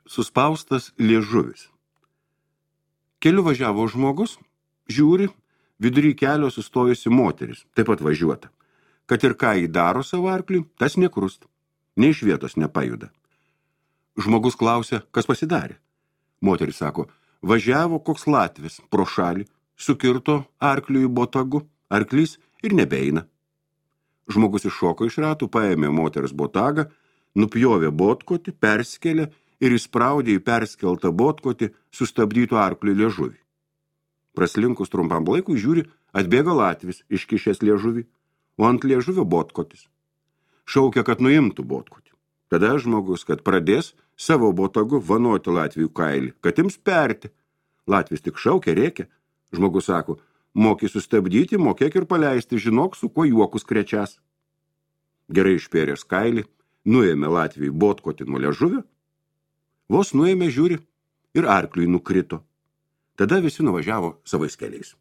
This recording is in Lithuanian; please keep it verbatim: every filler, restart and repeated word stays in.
Suspaustas liežuvis. Keliu važiavo žmogus, žiūri, vidury kelio sustojusi moteris, taip pat važiuota. Kad ir ką jį daro savo arkliui, tas nekrust, nei iš vietos nepajuda. Žmogus klausia, kas pasidarė. Moteris sako, važiavo koks latvis pro šalį, sukirto arkliui botagu, arklys ir nebeina. Žmogus iššoko iš ratų, paėmė moters botagą, nupjovė botkotį, perskelė ir įspraudė į perskeltą botkotį sustabdytų arklį liežuvį. Praslinkus trumpam laikui žiūri, atbėga latvis, iškišęs liežuvį, o ant liežuvio botkotis. Šaukia, kad nuimtų botkotį. Tada žmogus, kad pradės savo botagu vanoti Latvijų kailį, kad ims perti. Latvis tik šaukia, rėkia. Žmogus sako, moki sustabdyti, mokėk ir paleisti, žinok, su kuo juokus krečias. Gerai išpėręs kailį, nuėmė Latvijui botkotį nuo liežuvio, vos nuėmė žiūri ir arkliui nukrito. Tada visi nuvažiavo savais keliais.